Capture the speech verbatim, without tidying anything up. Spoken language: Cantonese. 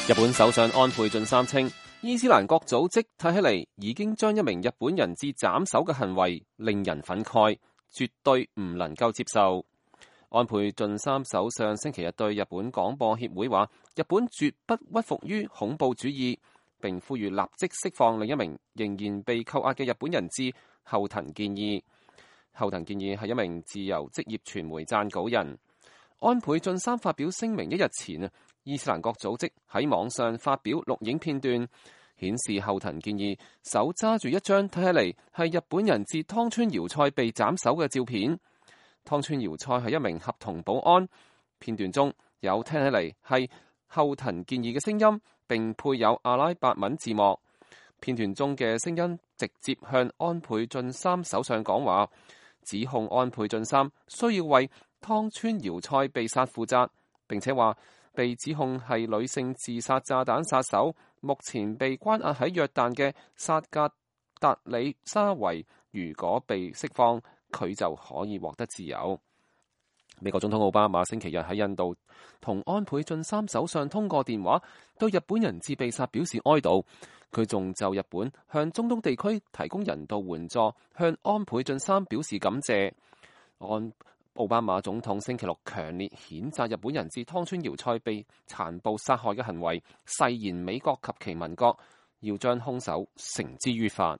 日本首相安倍晉三稱，伊斯蘭國組織睇起嚟已經將一名日本人質斬首嘅行為令人憤慨，絕對唔能夠接受。安倍晉三首相星期日對日本廣播協會話，日本絕不屈服於恐怖主義，並呼籲立即釋放另一名仍然被扣押嘅日本人質後藤健二。後藤健二係一名自由職業傳媒撰稿人。安倍晉三發表聲明一日前啊，伊斯蘭國組織喺網上發表錄影片段，顯示後藤健二手揸住一張睇起嚟係日本人質湯川遙菜被斬首嘅照片。湯川遙菜係一名合同保安，片段中有聽起嚟係後藤健二嘅聲音，並配有阿拉伯文字幕。片段中嘅聲音直接向安倍晉三首相講話，指控安倍晉三需要為湯川遙菜被殺負責，並且話被指控係女性自殺炸彈殺手，目前被關押喺約旦嘅薩格達里沙維，如果被釋放，佢就可以獲得自由。美國總統奧巴馬星期日喺印度同安倍晉三首相通過電話，對日本人質被殺表示哀悼。佢仲就日本向中東地區提供人道援助，向安倍晉三表示感謝。安奧巴馬總統星期六強烈譴責日本人質湯川遙菜被殘暴殺害嘅行為，誓言美國及其盟國要將兇手繩之於法。